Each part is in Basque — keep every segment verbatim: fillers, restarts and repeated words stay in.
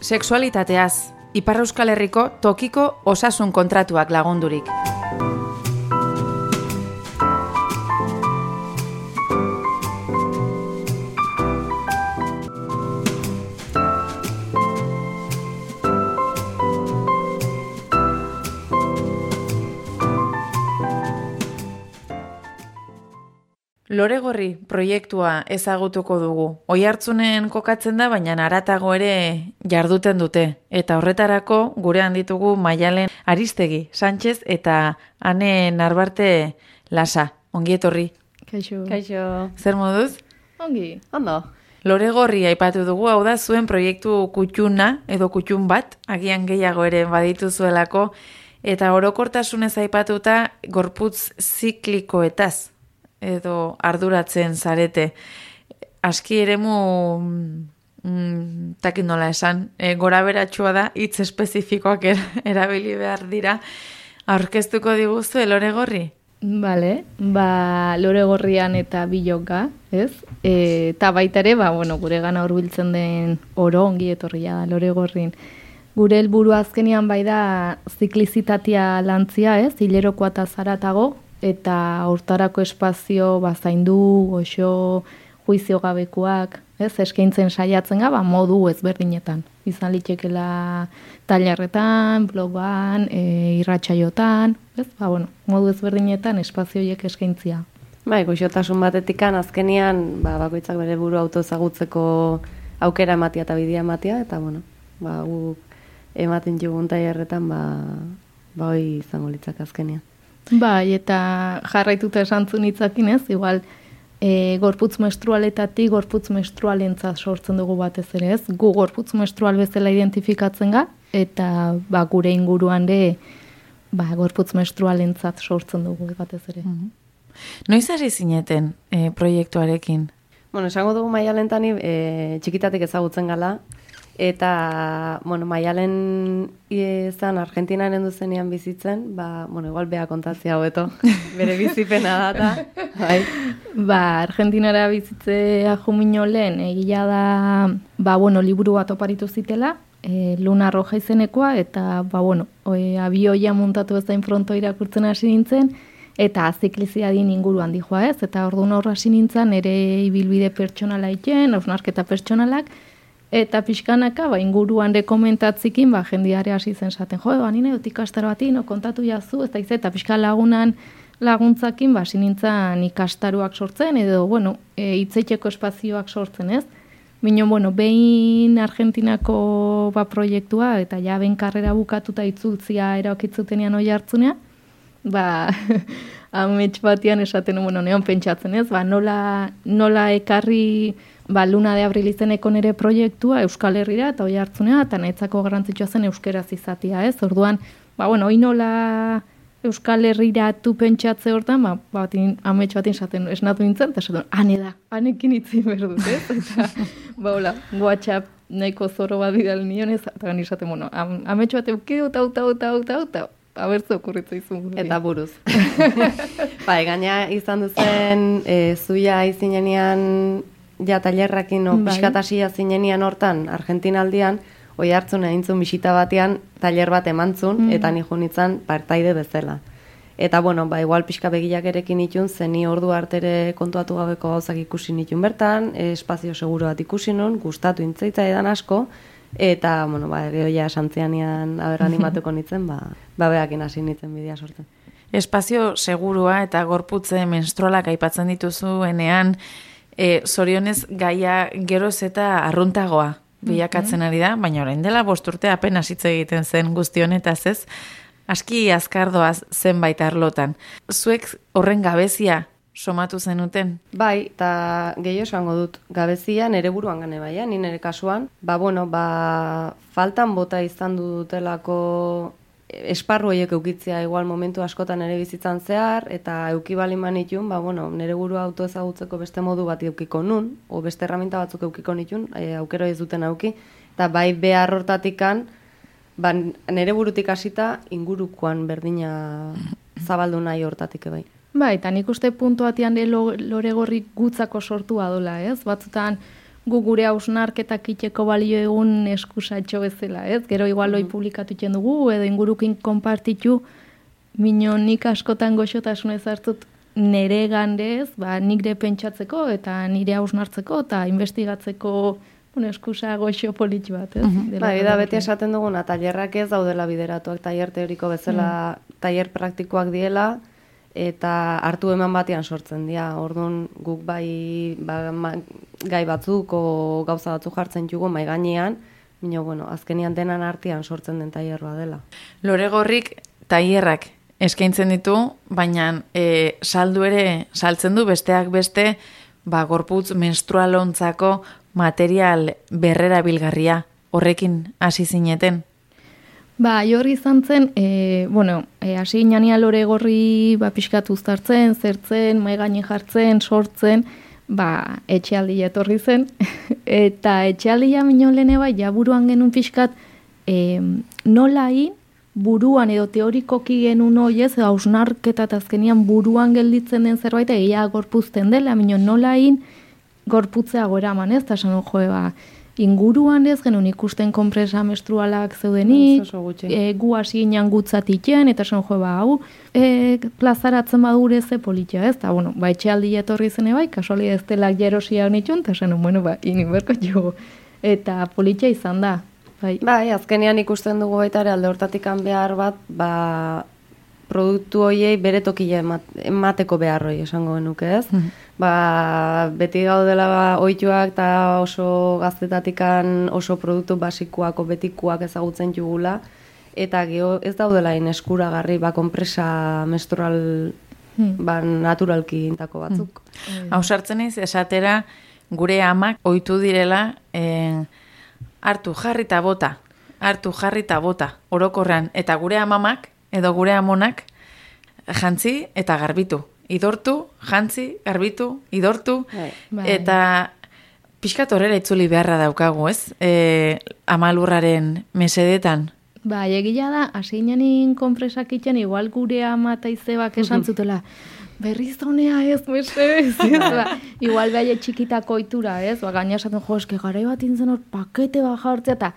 Sexualitateaz, Ipar Euskal Herriko tokiko osasun kontratuak lagundurik. Loregorri proiektua ezagutuko dugu. Oihartzunen kokatzen da, baina haratago ere jarduten dute. Eta horretarako gurean ditugu Maialen Aristegi Sánchez eta Ane Narbarte Lasa. Ongi etorri. Kaixo. Kaixo. Zer moduz? Ongi. Ondo. Loregorri aipatu dugu, hau da zuen proiektu kutxuna edo kutxun bat, agian gehiago ere badituzuelako, eta orokortasunez aipatuta gorputz ziklikoetaz edo arduratzen zarete. Aski eremu, mm, takin nola esan, e, gora beratxua da, hitz espezifikoak er, erabili behar dira. Aurkeztuko diguzu Loregorri? Bale, ba, Loregorrian eta biloka, ez? E, eta baita ere, ba, bueno, gure gana hurbiltzen den oro ongi etorria da Loregorrin. Gure helburu azkenean bai da ziklizitatea lantzia, ez? Hilerokoa eta zaratago, eta hortarako espazio bazaindu, goxo, juizio gabekoak, ez, eskaintzen saiatzen ga, ba, modu ezberdinetan. Izan litekela tailerretan, blogan, e, irratsaiotan, ez, ba, bueno, modu ezberdinetan espazio horiek eskaintzia. Bai, goxotasun batetikan azkenian, ba, bakoitzak bere buru autoezagutzeko aukera ematia eta bidea ematia, eta, bueno, ba, gu ematen jugun tailerretan, ba, ba, hoi izango litzak azkenian. Bai, eta jarraituta esantzun hitzakin ez, igual e, gorputz menstrualetatik gorputz menstrualentzat sortzen dugu batez ere ez, gu gorputz menstrual bezala identifikatzen ga, eta ba, gure inguruan ere ba, gorputz menstrualentzat sortzen dugu batez ere. Mm-hmm. Noiz hasi zineten e, proiektuarekin? Bueno, esango dugu Maialentani e, txikitatik ezagutzen gala, eta, bueno, Maialen izan Argentinaren duzenean bizitzen, ba, bueno, igual beha kontatzea hobeto, bere bizipena data. Bai. Ba, Argentinara bizitzea jumino lehen, egia da, ba, bueno, liburu bat oparitu zitela, e, Luna Roja izenekoa, eta, ba, bueno, e, abioia muntatu ezain fronto irakurtzen hasi nintzen, eta zikliziadin inguruan dijoa ez, eta orduan horra hasi nintzen, ere ibilbide pertsonala iten, hausnarketa pertsonalak, eta pixkanaka, ba, inguruan rekomentatzikin, ba, jendiare hasi zen zaten, jo, ba, nire dut ikastaro bati, no, kontatu jazu, ez da izan, eta pixka lagunan laguntzakin, ba, sinintzan ikastaroak sortzen, edo, bueno, e, itzetxeko espazioak sortzen, ez? Bino, bueno, behin Argentinako ba, proiektua, eta ja, behin karrera bukatuta itzultzia eraokitzutenean oi hartzunea, ba, amets batian esaten, bueno, neon pentsatzen, ez? Ba, nola, nola ekarri ba, Luna de Abril izeneko nere proiektua Euskal Herrira eta oi hartzunea, eta nahitzako garrantzitsua zen euskeraz izatea, ez? Orduan, ba, bueno, hoi nola Euskal Herrira tu pentsatze hortan, ba, batin, amets batin esaten esnatu nintzen, eta esaten, ane da, anekin itzin behar dut, ez? Eta, ba, hola, WhatsApp nahiko zoro bat bidal nion, ez? Eta gani esaten, bueno, am, amets bat eukideu, tau, tau, tau, tau, tau, abertze okurritza izun. Eta buruz. Bai, gaina izan duzen, e, zuia izinenean ja tailerrakin no, bai. Piskatasia zinenian hortan, Argentinaldian, oi hartzun egintzun bisita batean, tailer bat emantzun, mm. eta nijo nintzen partaide bezala. Eta, bueno, ba, igual pixka begiak erekin itun, zeni ordu artere kontuatu gabeko gauzak ikusi nitun bertan, espazio seguro bat ikusi nun, gustatu intzeitza edan asko, eta, bueno, ba, gehoia santzianian aber animatuko nintzen, ba, ba behakin hasi nintzen bidea sortzen. Espazio segurua eta gorputze menstrualak aipatzen dituzuenean, E, zorionez gaia geroz eta arruntagoa bilakatzen ari da, baina orain dela bost urte apenas hitz egiten zen guzti honetaz ez, aski azkardoaz zenbait arlotan. Zuek horren gabezia somatu zenuten? Bai, eta gehiago esango dut, gabezia nere buruan gane baia, ni nere kasuan, ba bueno, ba faltan bota izan dutelako esparru horiek eukitzea igual momentu askotan ere bizitzan zehar, eta euki bali manitun, ba, bueno, nire burua auto ezagutzeko beste modu bat eukiko nun, o beste erraminta batzuk eukiko nitun, e, aukero ez duten auki, eta bai behar hortatikan, ba, nire burutik hasita ingurukoan berdina zabaldu nahi hortatik bai. Ba, eta nik uste puntu batean Loregorri gutzako sortua dola, ez? Batzutan, gu gure hausnarketak iteko balio egun eskusatxo bezala, ez? Gero igual hoi publikatu itxen dugu, edo ingurukin konpartitu, mino nik askotan goxotasunez hartzut nire gandez, ba, nire pentsatzeko eta nire hausnartzeko eta investigatzeko bueno, eskusa goxo politxu bat, ez? Uh-huh. Ba, da beti esaten duguna, tailerrak ez daudela bideratuak, tailer teoriko bezala, mm. tailer praktikoak diela, eta hartu eman batean sortzen dira. Orduan guk bai ba, ma, gai batzuk o gauza batzuk jartzen jugu mai gainean, baina bueno, azkenian denan artean sortzen den tailerroa dela. Lore Gorrik tailerrak eskaintzen ditu, baina e, saldu ere saltzen du besteak beste, ba gorputz menstrualontzako material berrera bilgarria, horrekin hasi zineten? Ba, jorri izan zen, e, bueno, e, hasi inania Lore Gorri ba, pixkat uztartzen, zertzen, maigane jartzen, sortzen, ba, etxealdi etorri zen, eta etxealdia minon lehene bai, ja buruan genuen pixkat, e, nolain, buruan edo teorikoki genuen hoiez, edo hausnarketa eta azkenian buruan gelditzen den zerbait, egia gorpuzten dela, minon nolain, gorputzea goeraman ez, eta esan joe, ba, inguruan ez, genuen ikusten konpresa menstrualak zeudenik, e, gu hasi ginen gutzatiken, eta esan joe, ba, hau, e, plazaratzen badure ze politia ez, eta, bueno, ba, etxealdi etorri zene bai, kasuali ez delak jerosia nitxun, eta esan, bueno, ba, iniberko jo, eta politia izan da. Bai. Bai, azkenean ikusten dugu baita ere alde hortatik behar bat, ba, produktu hoiei bere tokile emateko behar hoi esango genuke ez. Mm. Ba, beti gaudela ba, ohituak eta oso gaztetatikan oso produktu basikoak o betikoak ezagutzen jugula, eta geho ez daudela in eskuragarri ba, konpresa menstrual mm. ba, naturalki intako batzuk. Mm. Hau sartzen iz, esatera gure amak ohitu direla eh, hartu jarri eta bota, hartu jarri eta bota, orokorrean, eta gure amamak edo gure amonak jantzi eta garbitu. Idortu, jantzi, garbitu, idortu, bai. Eta pixkat horrela itzuli beharra daukagu, ez? E, amalurraren mesedetan. Ba, egia da, hasi inanin konpresak itxen, igual gure ama eta izebak esan zutela, berriz honea ez, mesedez, ez? Ba, igual behai txikitako ohitura, ez? Ba, gaina esaten, jo, eske garai bat intzen hor pakete bat jartzea, eta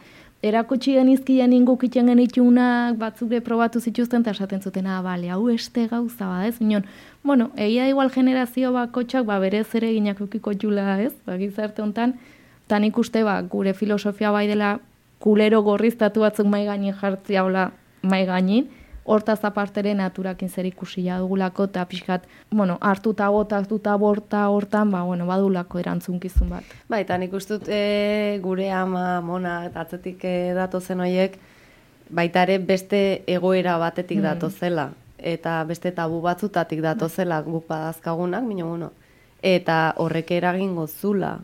erakutsi genizkian inguk itxen genitunak batzuk probatu zituzten, eta esaten zuten, ah, bale, hau este gauza ba, ez? Minon, bueno, egia igual generazio bakotxak, ba, berez ere ginak ukiko jula, ez? Ba, gizarte honetan, eta nik uste, ba, gure filosofia bai dela kulero gorriztatu batzuk mai gainin jartzia hola mai gainin, hortaz apartere naturakin zer ikusia dugulako, eta pixkat, bueno, hartuta bota, hartuta borta hortan, ba, bueno, badulako erantzunkizun bat. Ba, eta nik ustut e, gure ama, mona, eta atzetik e, datozen horiek, baita ere beste egoera batetik mm. datozela, eta beste tabu batzutatik datozela guk badazkagunak, mino, bueno, eta horrek eragingo zula,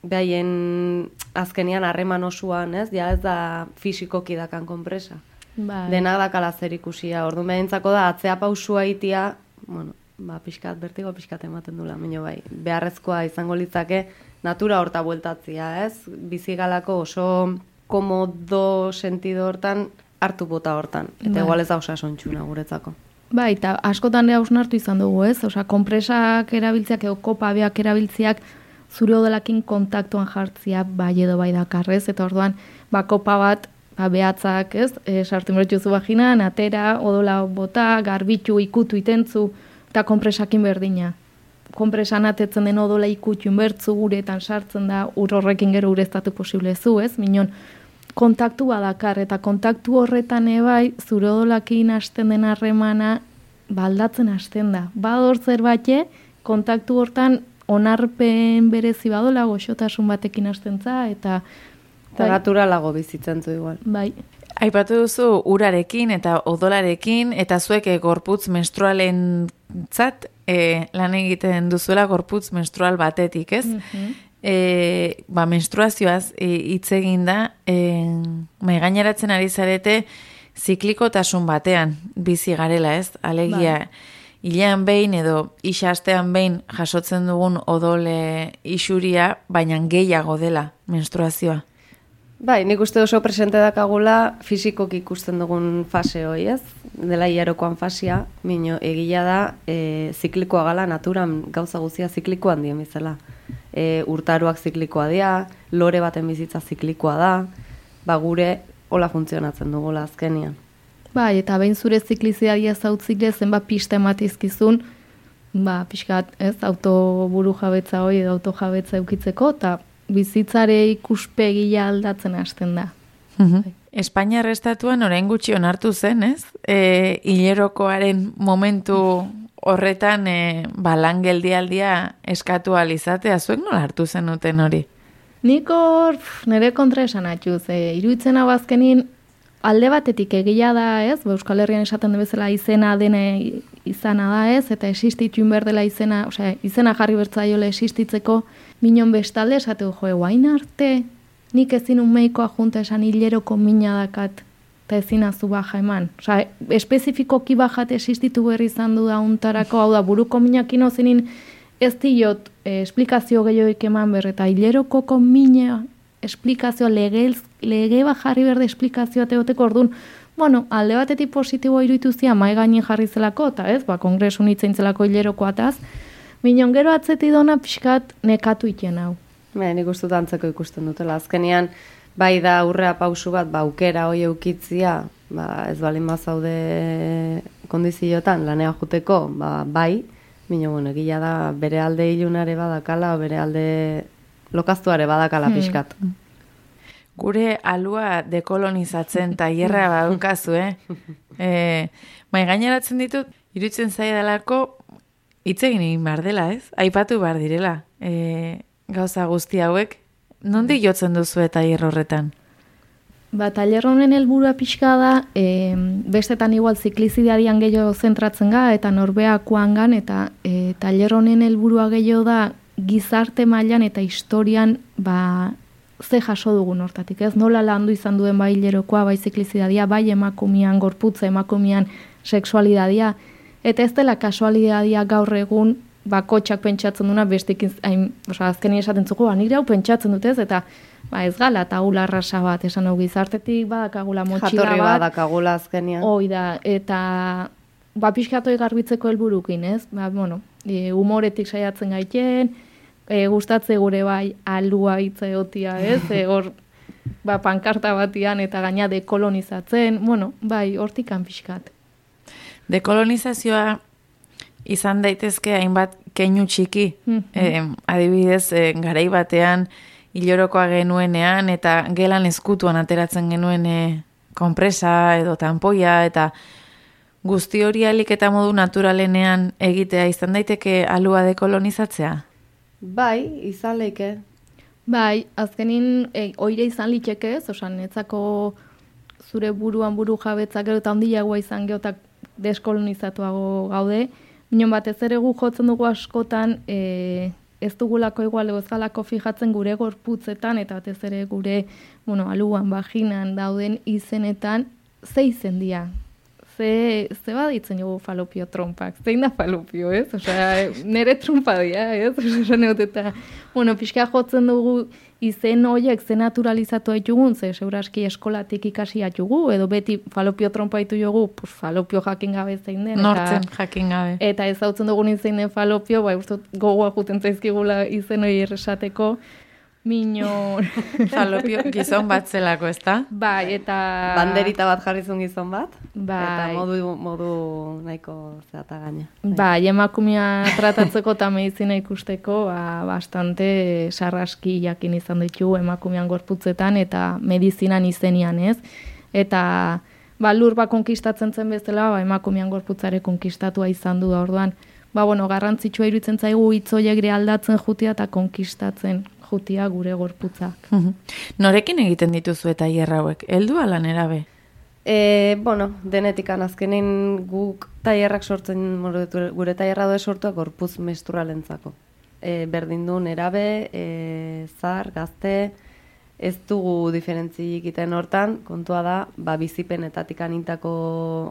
behaien azkenian harreman osoan, ez? Ja ez da fisikoki dakan konpresa. Bai. Denak dakala zer ikusia. Orduan behintzako da, atzea pausua itia, bueno, ba, pixkat, bertigo pixkat ematen dula, mino bai, beharrezkoa izango litzake natura horta bueltatzia, ez? Bizigalako oso komodo sentido hortan, hartu bota hortan. Eta bai. Igual ez da osasontxuna guretzako. Bai, eta askotan ere hausnartu izan dugu, ez? Osa, konpresak erabiltziak edo kopabeak erabiltziak zure odolakin kontaktuan jartzia bai edo bai dakarrez, eta orduan, ba, kopa bat, ba, behatzak, ez? E, sartu meretxuzu bajinan, atera, odola bota, garbitu, ikutu itentzu, eta konpresakin berdina. Konpresan atetzen den odola ikutu bertzu guretan sartzen da, ur horrekin gero ureztatu posible zu, ez? Minon, kontaktu badakar, eta kontaktu horretan ebai, zure odolakin hasten den harremana, baldatzen hasten da. Bador zerbait, kontaktu hortan, onarpen berezi badola, goxotasun batekin hastentza, eta... Eta bai, naturalago bizitzen zu igual. Bai. Aipatu duzu urarekin eta odolarekin, eta zuek e, gorputz menstrualen zat, e, lan egiten duzuela gorputz menstrual batetik, ez? Mm-hmm. E, ba, menstruazioaz hitz e, egin da, e, maigaineratzen ari zarete ziklikotasun batean bizi garela, ez? Alegia... Bai. Ilean behin edo isastean behin jasotzen dugun odole isuria, baina gehiago dela menstruazioa. Bai, nik uste oso presente dakagula fisikok ikusten dugun fase hoi, ez? Dela hilarokoan fasia, mino egia da, e, ziklikoa gala naturan gauza guzia ziklikoan dien bizala. e, urtaruak ziklikoa dira, lore baten bizitza ziklikoa da, ba gure hola funtzionatzen dugula azkenian. Bai, eta behin zure ziklizidadia zautzile zenbat pista ematizkizun, ba, pixkat, ez, autoburu jabetza hori edo autojabetza eukitzeko, eta bizitzare ikuspegia aldatzen hasten da. Mhm. Espainiar estatuan orain gutxi onartu zen, ez? E, hilerokoaren momentu horretan e, ba, lan geldialdia eskatu alizatea, zuek nola hartu zenuten hori? Nik hor pf, nire kontra esan atxuz, e, iruditzen hau azkenin alde batetik egia da, ez? Euskal Herrian esaten den bezala izena dene izana da, ez? Eta existitun berdela izena, osea, izena jarri bertzaiola existitzeko, minon bestalde esatu jo, guain arte, nik ezin unmeikoa junta esan hileroko mina dakat, eta ezin azu baja eman. Osea, espezifikoki bajat existitu berri izan du da untarako, hau da, buruko minakin ozenin ez diot eh, esplikazio gehioik eman berre, eta hileroko mina esplikazio, lege, lege bajarri berde esplikazioa teoteko orduan, bueno, alde batetik positiboa iruditu zia, mai gainin jarri zelako, eta ez, ba, kongresu nitzen zelako hilerokoataz, minon gero atzeti dona pixkat nekatu iten hau. Ba, nik uste dut antzeko ikusten dutela. Azkenean, bai da aurrea pausu bat, ba, aukera hoi eukitzia, ba, ez balin bazaude kondiziotan lanea juteko, ba, bai, mino, bueno, egila da bere alde ilunare badakala, bere alde lokaztuare badakala pixkat. Hmm. Gure alua dekolonizatzen tailerra badaukazu, eh? E, bai, gaineratzen ditut, iruditzen zaidalako hitz egin egin behar dela, ez? Aipatu behar direla. E, gauza guzti hauek, nondik jotzen duzu eta tailer horretan? Ba, tailer honen helburua pixka da, e, bestetan igual ziklizidadian gehiago zentratzen ga, eta norbeakoan gan, eta e, tailer honen helburua gehiago da, gizarte mailan eta historian, ba, ze jaso dugun hortatik, ez? Nola landu izan duen bai hilerokoa, bai ziklizidadia, bai emakumian gorputza, emakumian sexualidadia, eta ez dela kasualidadia gaur egun, bakotxak pentsatzen duna, bestik hain, oza, azkeni esaten zuko, ba, nire hau pentsatzen dutez, eta ba, ez gala, taula arrasa bat, esan hau gizartetik badakagula motxila bat. Jatorri badakagula azkenian. Hoi da, eta ba, pixkatoi garbitzeko helburukin, ez? Ba, bueno, e, humoretik saiatzen gaiten, e, gustatze gure bai alua hitza egotia, ez? E, hor, ba, pankarta batian eta gaina dekolonizatzen, bueno, bai, hortikan pixkat. Dekolonizazioa izan daitezke hainbat keinu txiki, eh, adibidez, eh, garai batean hilorokoa genuenean eta gelan eskutuan ateratzen genuen eh, konpresa edo tanpoia eta guzti hori alik eta modu naturalenean egitea izan daiteke alua dekolonizatzea? Bai, izan leike. Bai, azkenin e, oire izan liteke ez, osan netzako zure buruan buru jabetzak gero eta ondilagoa izan geotak deskolonizatuago gaude, minon batez ere gu jotzen dugu askotan e, ez dugulako igual ez galako fijatzen gure gorputzetan eta batez ere gure bueno, aluan, vaginan dauden izenetan ze izen dira. Ze, ze baditzen dugu falopio trompak, zein da falopio, ez? Osea, nere trompa dira, ez? Osea, neut eta, bueno, pixka jotzen dugu izen horiek ze naturalizatu haitugun, ze seuraski eskolatik ikasi haitugu, edo beti falopio trompa haitu jogu, pues falopio jakin gabe zein den. Nortzen jakin gabe. Eta ez hautzen dugun izen den falopio, bai, uste gogoa juten zaizkigula izen hori erresateko, Mino... Falopio gizon bat zelako, ez da? Bai, eta... Banderita bat jarrizun gizon bat. Bai. Eta modu, modu nahiko zeata gaina. Bai, emakumea tratatzeko eta medizina ikusteko, ba, bastante sarraski jakin izan ditu emakumean gorputzetan eta medizinan izenian, ez? Eta ba, lur ba konkistatzen zen bezala, ba, emakumean gorputzare konkistatua izan du da orduan. Ba, bueno, garrantzitsua iruditzen zaigu hitzoiek aldatzen jutia eta konkistatzen jutia gure gorputzak. Norekin egiten dituzu eta hierra hauek? Heldu ala nerabe? E, bueno, denetikan azkenin guk tailerrak sortzen, gure tailerra doa sortuak gorputz menstrualentzako. E, berdin du nerabe, e, zar, gazte, ez dugu diferentzi egiten hortan, kontua da, ba, bizipenetatik anintako,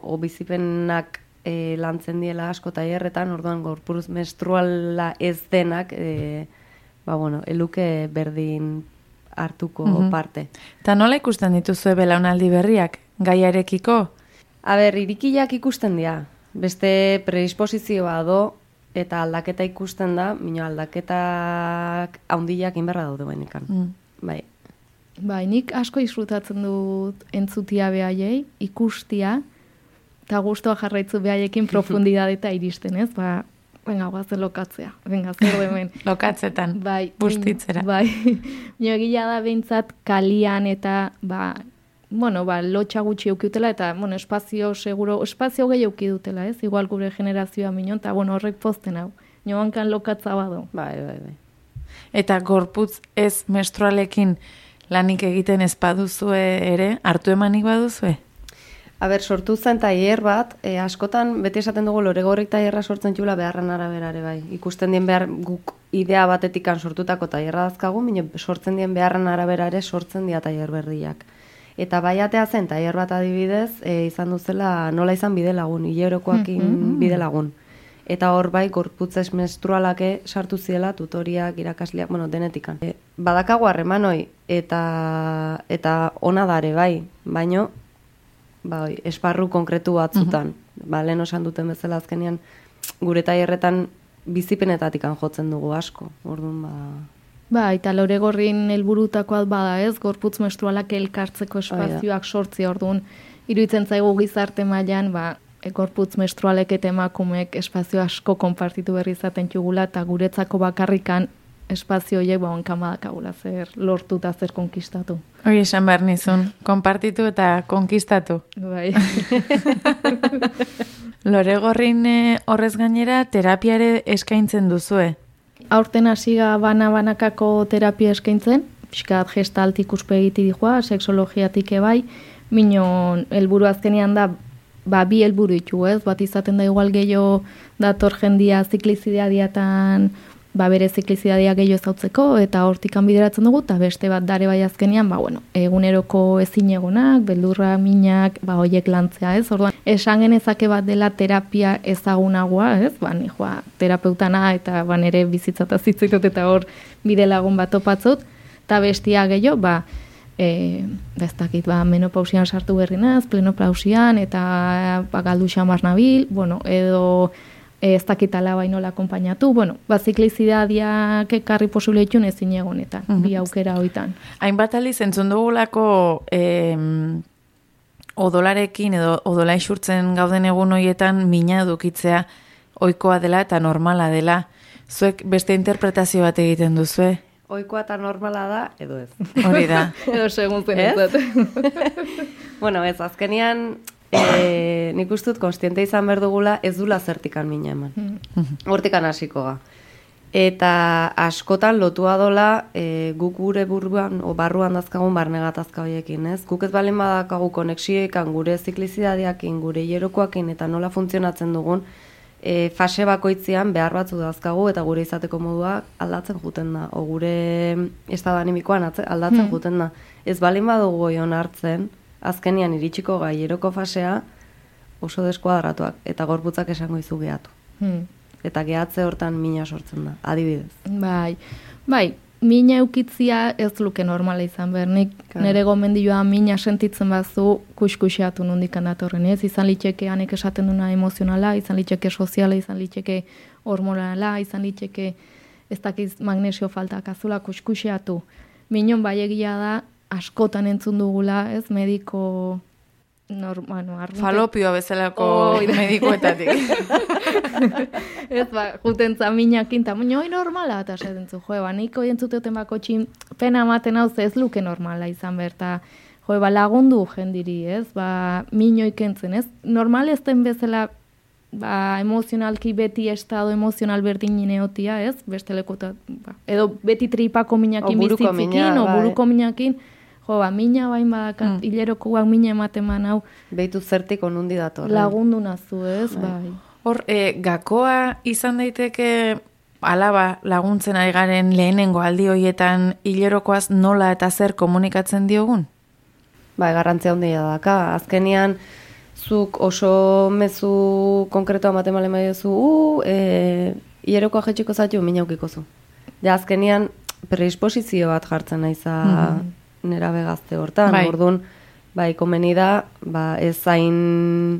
o bizipenak e, lantzen diela asko tailerretan, orduan gorputz menstruala ez denak, e, ba, bueno, eluke berdin hartuko mm-hmm. parte. Eta nola ikusten dituzue belaunaldi berriak, gaiarekiko? A ber, irikiak ikusten dira. Beste predisposizioa do, eta aldaketa ikusten da, mino aldaketak haundiak inberra daude bainikan. Mm. Bai. Bai, nik asko disfrutatzen dut entzutia behaiei, ikustia, eta gustoa jarraitzu behaiekin profundidade eta iristen, ez? Ba, venga, guazen lokatzea, venga, zer hemen. Lokatzetan, bai, bustitzera. Bai, nio egila da behintzat kalian eta, ba, bueno, ba, lotxa gutxi eukiutela, eta, bueno, espazio seguro, espazio gehi euki dutela, ez? Igual gure generazioa minon, eta, bueno, horrek posten hau. Nio hankan lokatza bado. Bai, bai, bai. Eta gorputz ez menstrualekin lanik egiten ez baduzue ere, hartu emanik baduzue? Aber, sortu zen tailer bat, e, askotan, beti esaten dugu loregorrik tailerra sortzen txula beharren araberare bai. Ikusten dien behar guk idea batetikan sortutako tailerra dazkagu, mine sortzen dien beharren araberare sortzen dia tailer berriak. Eta baiatea zen tailer bat adibidez, e, izan duzela nola izan bide lagun, hilerokoakin mm-hmm. bide lagun. Eta hor bai, gorputzez menstrualake sartu ziela tutoriak, irakasleak, bueno, denetikan. E, badakagu harremanoi, eta, eta ona dare bai, baino, bai, esparru konkretu batzutan. Uh-huh. Ba, lehen osan duten bezala azkenean, gure tailerretan bizipenetatikan jotzen dugu asko. Orduan, ba... Ba, eta loregorrin helburutakoa bada ez, gorputz menstrualak elkartzeko espazioak sortzi orduan, iruditzen zaigu gizarte mailan, ba, e, gorputz menstrualek eta emakumeek espazio asko konpartitu berri izaten txugula, eta guretzako bakarrikan espazio horiek ba, onkan badakagula, zer lortu eta zer konkistatu. Hori esan behar nizun, konpartitu eta konkistatu. Bai. Loregorrin horrez gainera terapiare eskaintzen duzue. Aurten hasiga bana-banakako terapia eskaintzen, pixkat gestalt ikuspegiti dijoa, sexologiatik ebai, minon helburu azkenean da, ba, bi helburu ditu, ez? Bat izaten da igual gehiago dator jendia ziklizidadiatan, ba, bere ziklizidadia gehiago ezautzeko, eta hortikan bideratzen dugu, eta beste bat dare bai azkenean, ba, bueno, eguneroko ezinegonak, beldurra, minak, ba, hoiek lantzea, ez? Orduan, esan genezake bat dela terapia ezagunagoa, ez? Ba, ni joa, terapeutana, eta ba, nere bizitzata zitzitut, eta hor bide lagun bat topatzut, eta bestia gehiago, ba, e, bestakit, ba, menopausian sartu berri naz, plenopausian, eta ba, galdu xamar nabil, bueno, edo ez dakitala bainola akompainatu, bueno, ba, ziklizidadiak ekarri posible ditun ezin egonetan, uh-huh. bi aukera hoitan. Hainbat aliz entzun dugulako eh, odolarekin edo odola isurtzen gauden egun hoietan mina edukitzea ohikoa dela eta normala dela. Zuek beste interpretazio bat egiten duzue? Ohikoa eta normala da, edo ez. Hori da. Edo segun zen ez? Bueno, ez, azkenean... E, nik ustut konstiente izan behar dugula ez dula zertikan mina eman. Hortikan hasiko ga. Eta askotan lotua dola e, guk gure buruan o barruan dazkagun barne gatazka horiekin, ez? Guk ez balen badakagu konexioekan gure ziklizidadiakin, gure hierokoakin eta nola funtzionatzen dugun, e, fase bakoitzean behar batzu dazkagu eta gure izateko modua aldatzen juten da. O gure estado animikoan aldatzen hmm. juten da. Ez balen badugu oion hartzen, azkenian iritsiko gaieroko fasea oso deskuadratuak eta gorputzak esango izu gehatu. Hmm. Eta gehatze hortan mina sortzen da, adibidez. Bai, bai, mina eukitzia ez luke normala izan behar. Nik nire gomendioa mina sentitzen bazu kuskusiatu nondikan datorren, ez? Izan litzeke anek esaten duna emozionala, izan litzeke soziala, izan litzeke hormonala, izan litzeke ez dakiz magnesio faltak azula kuskusiatu. Minon bai egia da, askotan entzun dugula, ez, mediko... Nor, bueno, arrunte... Falopioa bezalako oh, medikoetatik. Ez, ba, juten zaminakin, eta baina hoi normala, eta esaten zu, joe, ba, niko entzuteoten bako txin, pena ematen hau ez luke normala izan berta, joe, ba, lagundu jendiri, ez, ba, minoik entzen, ez, normal ez den bezala, ba, emozionalki beti estado emozional berdin ineotia, ez, beste lekota, ba, edo beti tripako minakin bizitzikin, o buruko minakin, jo, ba, mina bain badakat, mm. hilerokoak mina ematen man hau. Behitu zertik onundi dator. Lagundu nazu, ez, bai. bai. Hor, e, gakoa izan daiteke alaba laguntzen ari garen lehenengo aldi hoietan hilerokoaz nola eta zer komunikatzen diogun? Bai, garrantzia handia daka. Azkenian, zuk oso mezu konkretoa matemale maiozu, uh, e, hilerokoa jetxiko zaitu, mina ukiko zu. Ja, azkenian, predisposizio bat jartzen naiza... Mm. Nera begazte hortan, bai. Orduan, bai, komeni da, ba, ez zain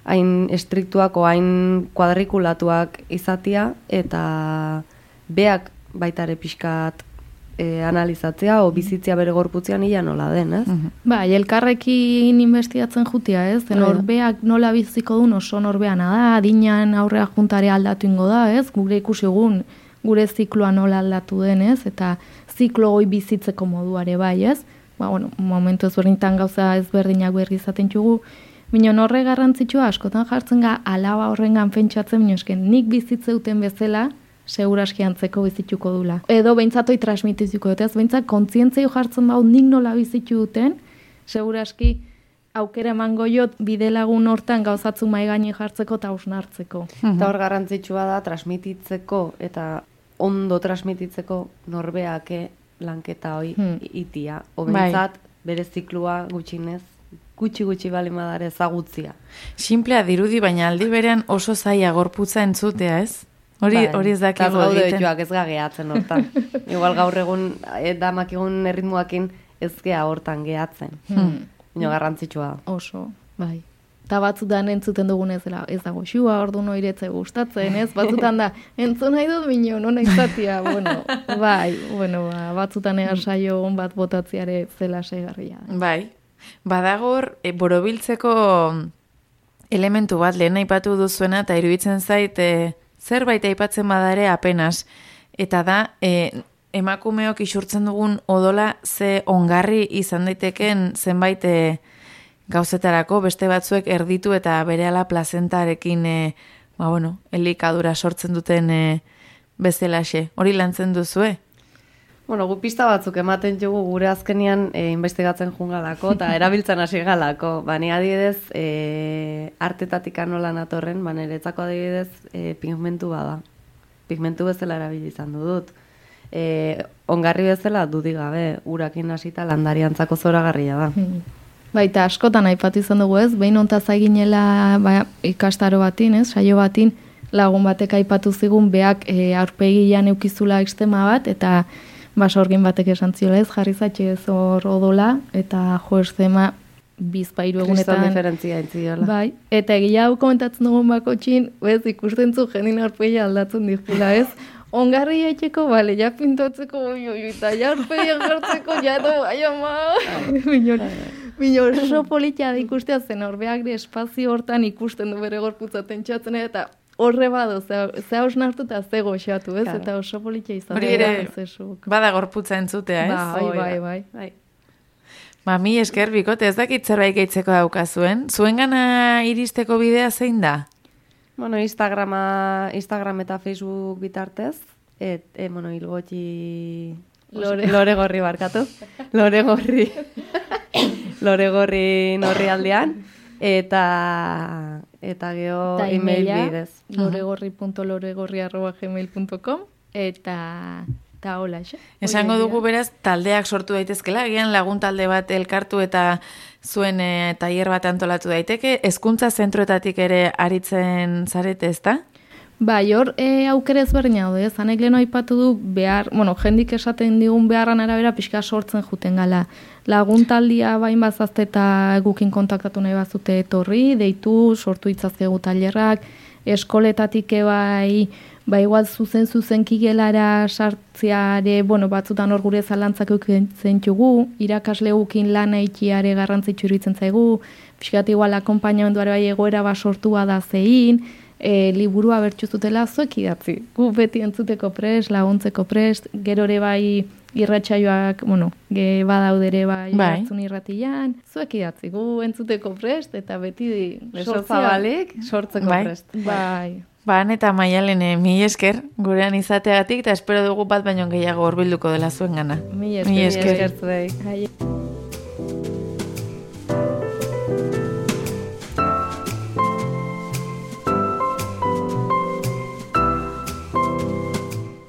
hain estriktuak o hain kuadrikulatuak izatia, eta beak baitare pixkat e, analizatzea, o bizitzia bere gorputzean ia nola den, ez? Ba, elkarrekin investigatzen jutia, ez? Norbeak nola biziko duen oso norbeana da, adinan aurrea juntare aldatu ingo da, ez? Gure ikusi egun, gure zikloa nola aldatu den, ez? Eta ziklo hoi bizitzeko moduare bai, ez? Ba, bueno, momentu ezberdintan gauza ezberdinak berri izaten txugu, minon horre garrantzitsua askotan jartzen ga, alaba horrengan pentsatzen, minosken, nik bizitze duten bezala, seguraski antzeko bizituko dula. Edo behintzatoi transmitizuko dute, ez behintzat kontzientzia jartzen bau nik nola bizitu duten, seguraski aukera emango jot bidelagun hortan gauzatzu mai gaine jartzeko eta hausnartzeko. Eta hor garrantzitsua da transmititzeko eta ondo transmititzeko norbeake lanketa hoi hmm. itia. Obentzat, bere ziklua gutxinez, gutxi-gutxi bali madare ezagutzia. Simplea dirudi, baina aldi berean oso zaila gorputza entzutea, ez? Hori bai, hori ez dakigu egiten. Joak ez gageatzen hortan. Igual gaur egun, damak egun erritmoakin ez gea hortan gehatzen. Hmm. Ino garrantzitsua da. Oso, bai. Eta batzutan entzuten dugun ez, ez dago xua, ordu noiretze gustatzen, ez? Batzutan da, entzun nahi dut bino, non izatia, bueno, bai, bueno, ba, batzutan ega saio on bat botatziare zela segarria. Bai, badagor, e, borobiltzeko elementu bat lehen aipatu duzuena, eta iruditzen zait, e, zerbait aipatzen badare apenas, eta da, e, emakumeok isurtzen dugun odola ze ongarri izan daiteken zenbait e, gauzetarako, beste batzuek erditu eta berehala plazentarekin e, ba, bueno, elikadura sortzen duten e, bezalaxe. Hori lantzen duzue? Bueno, gu pista batzuk ematen dugu gure azkenian e, investigatzen jungalako eta erabiltzen hasi galako. Ba, ni adibidez, e, artetatik anola natorren, ba, niretzako adibidez e, pigmentu bada. Pigmentu bezala erabili izan dut. E, ongarri bezala dudik gabe, urakin hasita landariantzako zoragarria da. Baita askotan aipatu izan dugu ez, behin ontaz eginela ba, ikastaro batin, ez, saio batin, lagun batek aipatu zigun beak e, aurpegian eukizula ekstema bat, eta basorgin batek esan ziola ez, jarri zatxe ez hor odola, eta jo eszema bizpairu egunetan. Kriston diferentzia entziola. Bai, eta egia hau komentatzen dugun bako txin, bez, ikusten zu jendin aurpegia aldatzen dizula ez, ongarri etxeko, bale, ja pintotzeko, oi, oi, eta ja aurpegian jartzeko, ja edo, ai ama, minor, minor, oso politia da ikustea zen, horbeak de espazio hortan ikusten du bere gorputzaten txatzen, eta horre bado, ze hausnartu eta ze goxatu, ez? Claro. Eta oso politia izan. Hori ere, bada gorputza entzutea, ez? Bai, bai, bai. bai. Ba, mi esker bikote, ez dakit zerbait gaitzeko daukazuen. Zuengana iristeko bidea zein da? Bueno, Instagrama, Instagram eta Facebook bitartez, et, e, bueno, hilgotxi... Lore. Lore gorri barkatu. Lore gorri. Lore gorri norri aldean. Eta, eta geho email bidez. loregorri punto loregorri arroba gmail punto com eta... Eta hola, xe? Esango dugu beraz, taldeak sortu daitezkela, agian lagun talde bat elkartu eta zuen e, tailer bat antolatu daiteke, hezkuntza zentroetatik ere aritzen zarete, ezta? Ba, hor e, aukera ezberdina daude, zanek leheno aipatu du behar, bueno, jendik esaten digun beharran arabera pixka sortzen juten gala. Lagun taldia bain bazazte eta gukin kontaktatu nahi bazute etorri, deitu, sortu itzazkegu tailerrak, eskoletatik ebai, ba igual zuzen zuzen kigelara sartziare, bueno, batzutan hor gure zalantzak eukitzen txugu, irakasle gukin lana itxiare garrantzitsu iruditzen zaigu, pixkat igual akompainamenduare bai egoera ba sortua da zein, e, liburua bertxu zutela zuek idatzi. Gu beti entzuteko prest, laguntzeko prest, gero ere bai irratsaioak, bueno, ge badaudere bai hartzun irratian, zuek idatzi, gu entzuteko prest, eta beti sortzabalik sortzeko bai. prest. Bai. Ba, eta Maialen, mi esker, gurean izateagatik, eta espero dugu bat baino gehiago horbilduko dela zuen gana. Mi esker. Mi esker. Mi esker.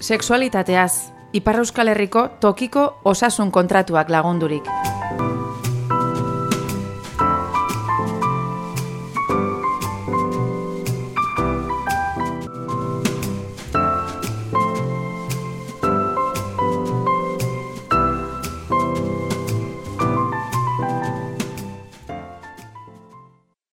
Sexualitateaz, Ipar Euskal Herriko tokiko osasun kontratuak lagundurik.